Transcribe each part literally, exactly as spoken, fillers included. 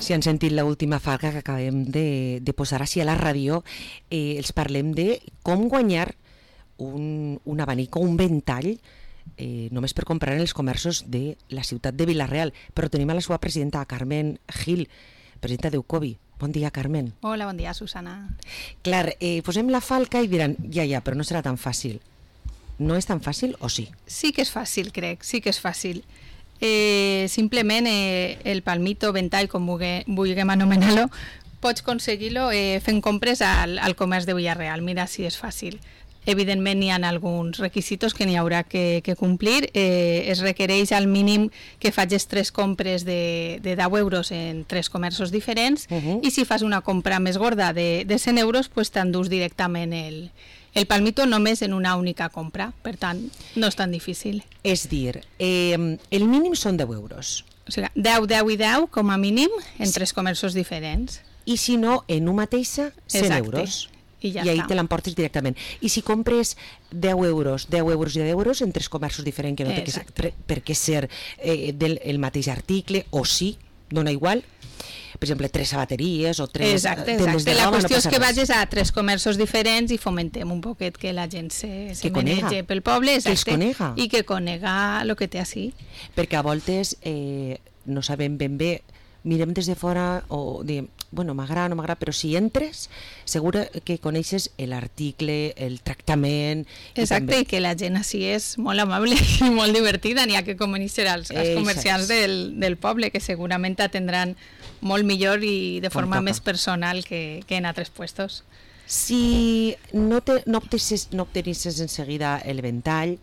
Si han sentit l'última falca que acabem de, de posar així a la ràdio, eh, els parlem de com guanyar un, un abanic o un ventall eh, només per comprar en els comerços de la ciutat de Vila-real. Però tenim a la seva presidenta, Carmen Gil, presidenta d'Eucovi. Bon dia, Carmen. Hola, bon dia, Susana. Clar, eh, posem la falca i diran, ja, ja, però no serà tan fàcil. No és tan fàcil o sí? Sí que és fàcil, crec, sí que és fàcil. Eh, simplement eh, el palmito, ventall, com vulguem, vulguem anomenar-lo, pots aconseguir-lo eh, fent compres al, al comerç de Vila-real. Mira si és fàcil. Evidentment hi ha alguns requisitos que n'hi haurà que, que complir. Eh, es requereix al mínim que facis tres compres de, de deu euros en tres comerços diferents, uh-huh. I si fas una compra més gorda de, de cent euros, pues t'endús directament el, el palmito només en una única compra. Per tant, no és tan difícil. És dir, eh, el mínim són deu euros. O sigui, deu, deu i deu com a mínim en tres comerços diferents. I si no, en una mateixa, cent Exacte. Euros. I, ja I ahí està. te l'emportes directament. I si compres deu euros, deu euros i deu euros en tres comerços diferents, que no té que ser, per, per què ser eh, del el mateix article, o sí, dona igual, per exemple, tres sabateries o tres exacte, tendes exacte. de La roba, qüestió no és passa que res. vagis a tres comerços diferents i fomentem un poquet que la gent se, se Que conega. menege pel poble, Que els exacte, conega. i que conega el que té així. Perquè a voltes eh, no sabem ben bé, mirem des de fora o diem, bueno, m'agrada, no m'agrada, però si entres, segur que coneixes l'article, el tractament... Exacte, i, també... i que la gent així és molt amable i molt divertida, n'hi ha que conèixer els, els comerciants del, del poble, que segurament t'atendran molt millor i de forma més personal que, que en altres puestos. Si no, te, no, obtenisses, no obtenisses en seguida el ventall,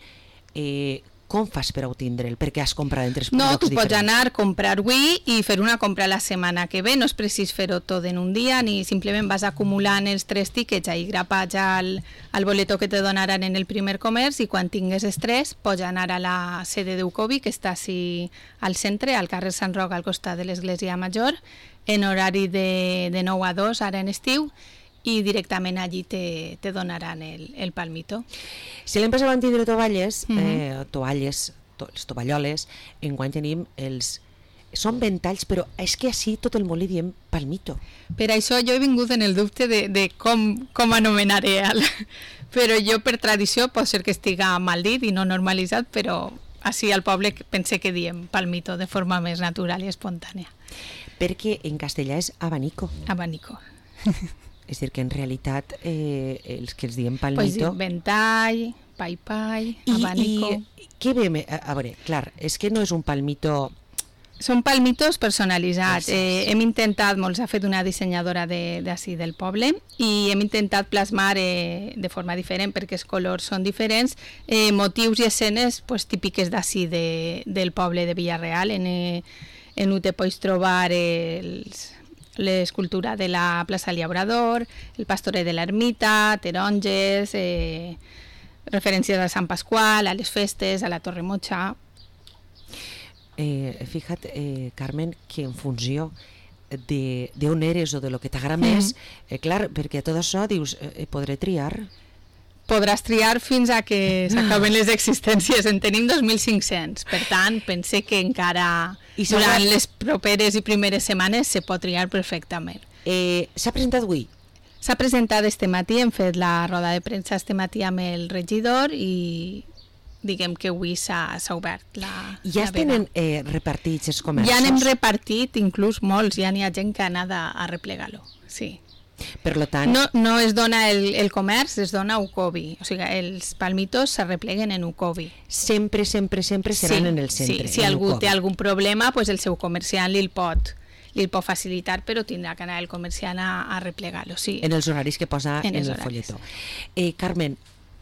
eh, com fas per obtindre'l? Perquè has comprat en tres no, llocs diferents. No, tu pots anar a comprar avui i fer una compra la setmana que ve, no és precís fer-ho tot en un dia, ni simplement vas acumulant els tres tíquets ahí grapats al, al boleto que te donaran en el primer comerç, i quan tingues els tres pots anar a la sede d'Eucovi, que està així al centre, al carrer Sant Roc, al costat de l'església Major, en horari de, de nou a dos, ara en estiu, i directament allí te, te donaran el, el palmito. Si l'hem passat a tindre tovalles, uh-huh. eh, tovalles, to, les tovalloles, enguany tenim els... Són ventalls, però és que així tot el món li diem palmito. Per això jo he vingut en el dubte de, de com, com anomenaré el... Però jo per tradició pot ser que estiga mal dit i no normalitzat, però així al poble pense que diem palmito de forma més natural i espontània. Perquè en castellà és abanico. Abanico. És dir, que en realitat eh, els que els diem palmito... Pues dir ventall, pai-pai, abanico... I què ve? A, a veure, clar, és que no és un palmito... Són palmitos personalitzats. Eh, hem intentat, molts ha fet una dissenyadora d'ací de, del poble, i hem intentat plasmar eh, de forma diferent, perquè els colors són diferents, eh, motius i escenes pues, típiques d'ací de, del poble de Vila-real. En, eh, en ho te pots trobar els... l'escultura de la plaça Llaurador, el pastoret de l'ermita, taronges, eh, referències a Sant Pasqual, a les festes, a la Torre Motxa. Eh, fija't, eh, Carmen, que en funció de, de on eres o de lo que t'agrada mm. més, eh, clar, perquè tot això dius, eh, podré triar? Podràs triar fins a que s'acaben les existències. En tenim dos mil cinc-cents, per tant, pense que encara I durant va... les properes i primeres setmanes se pot triar perfectament. Eh, S'ha presentat avui? S'ha presentat este matí, hem fet la roda de premsa este matí amb el regidor i diguem que avui s'ha obert la Ja la es tenen eh, repartits els comerços? Ja n'hem repartit, inclús molts, ja n'hi ha gent que ha anat a, a replegar-lo, sí. Per lo tant... No, no es dona el, el comerç, es dona a Eucovi. O sigui, els palmitos se repleguen en Eucovi. Sempre, sempre, sempre seran sí, en el centre. Sí, si algú Eucovi té algun problema, pues el seu comerciant li'l pot, li pot facilitar, però tindrà que anar el comerciant a, a replegar-lo, sí. En els horaris que posa en, en el horaris. folletó. Eh, Carmen,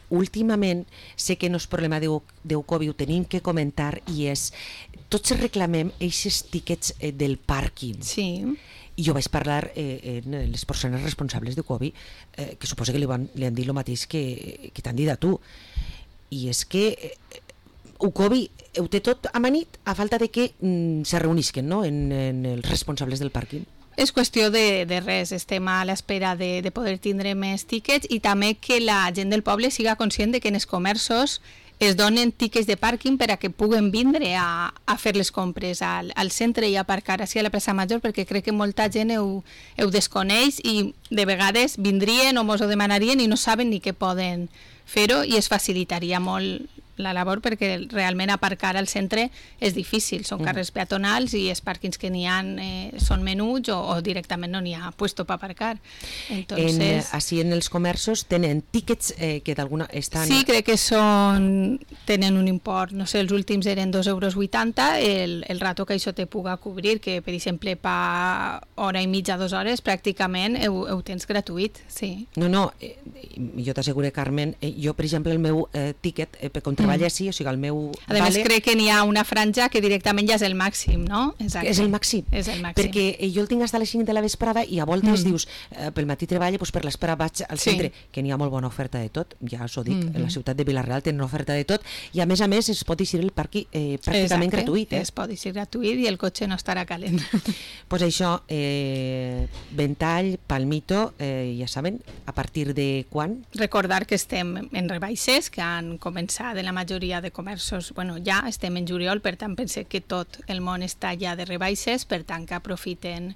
últimament sé que no és problema d'Eucovi, ho tenim que comentar, i és, tots reclamem aquests tíquets eh, del pàrquing. Sí. I jo vaig parlar eh, en les persones responsables d'Eucovi, eh, que suposo que li, van, li han dit el mateix que, que t'han dit a tu. I és que eh, Eucovi ho té tot amanit a falta de que mm, se reunisquen, no?, en, en els responsables del pàrquing. És qüestió de, de res, estem a l'espera de, de poder tindre més tíquets, i també que la gent del poble siga conscient de que en els comerços es donen tiquets de pàrquing per a que puguen vindre a, a fer les compres al, al centre i aparcar així a la plaça Major, perquè crec que molta gent ho, ho desconeix i de vegades vindrien o mos ho demanarien i no saben ni què poden fer-ho, i es facilitaria molt la labor, perquè realment aparcar al centre és difícil, són carrers peatonals i els pàrquings que n'hi ha eh, són menuts o, o directament no n'hi ha puesto per aparcar. Entonces, en, així en els comerços tenen tíquets eh, que d'alguna estan... Sí, crec que són tenen un import, no sé, els últims eren dos euros vuitanta, el, el rato que això te puga cobrir, que per exemple per hora i mitja, dues hores, pràcticament ho, ho tens gratuït, sí. No, no, eh, jo t'asseguro, Carmen, eh, jo per exemple el meu eh, tíquet, eh, per treballa així, o sigui, el meu... A més, vale, crec que n'hi ha una franja que directament ja és el màxim, no? Exacte. És el màxim. És el màxim. Perquè jo el tinc fins a les cinc de la vesprada i a voltes mm. dius, eh, pel matí treballa, doncs per l'espera vaig al sí. centre, que n'hi ha molt bona oferta de tot, ja us ho dic, mm -hmm. en la ciutat de Vila-real tenen oferta de tot, i a més a més es pot eixir el parc eh, pràcticament Exacte. gratuït. Eh? Es pot eixir gratuït i el cotxe no estarà calent. Doncs pues això, eh, ventall, palmito, eh, ja saben, a partir de quan? Recordar que estem en rebaixes, que han començat en la majoria de comerços, bueno, ja estem en juliol, per tant pensé que tot el món està ja de rebaixes, per tant que aprofiten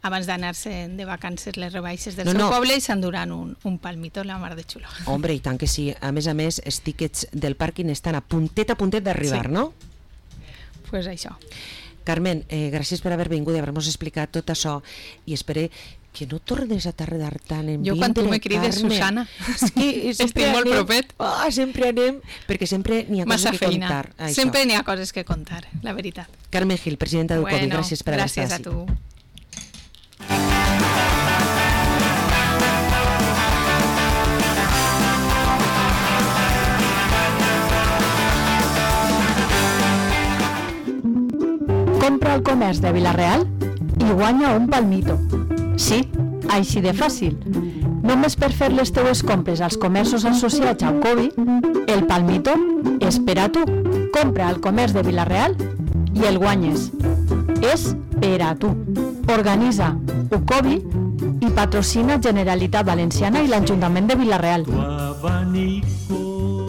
abans d'anar-se de vacances les rebaixes del no, seu no. poble i s'enduran un, un palmito la mar de xulo. Hombre, i tant que sí. A més a més, els tíquets del pàrquing estan a puntet a puntet d'arribar, sí. no? Doncs pues això. Carmen, eh, gràcies per haver vingut i haver-nos explicat tot això, i espero que no tornes a tardar tant en jo vindre, quan tu me crides, Carmen. Susana, és que estic molt anem, propet. Oh, sempre anem, perquè sempre n'hi ha Massa coses que feina. contar. Això. Sempre n'hi ha coses que contar, la veritat. Carmen Gil, presidenta d'Ucovi, bueno, gràcies per haver estat gràcies a tu. Compra al comerç de Vila-real i guanya un palmito. Sí, així de fàcil. Només per fer les teues compres als comerços associats a Ucovi, el palmito és per a tu. Compra al comerç de Vila-real i el guanyes. És per a tu. Organitza Ucovi i patrocina Generalitat Valenciana i l'Ajuntament de Vila-real.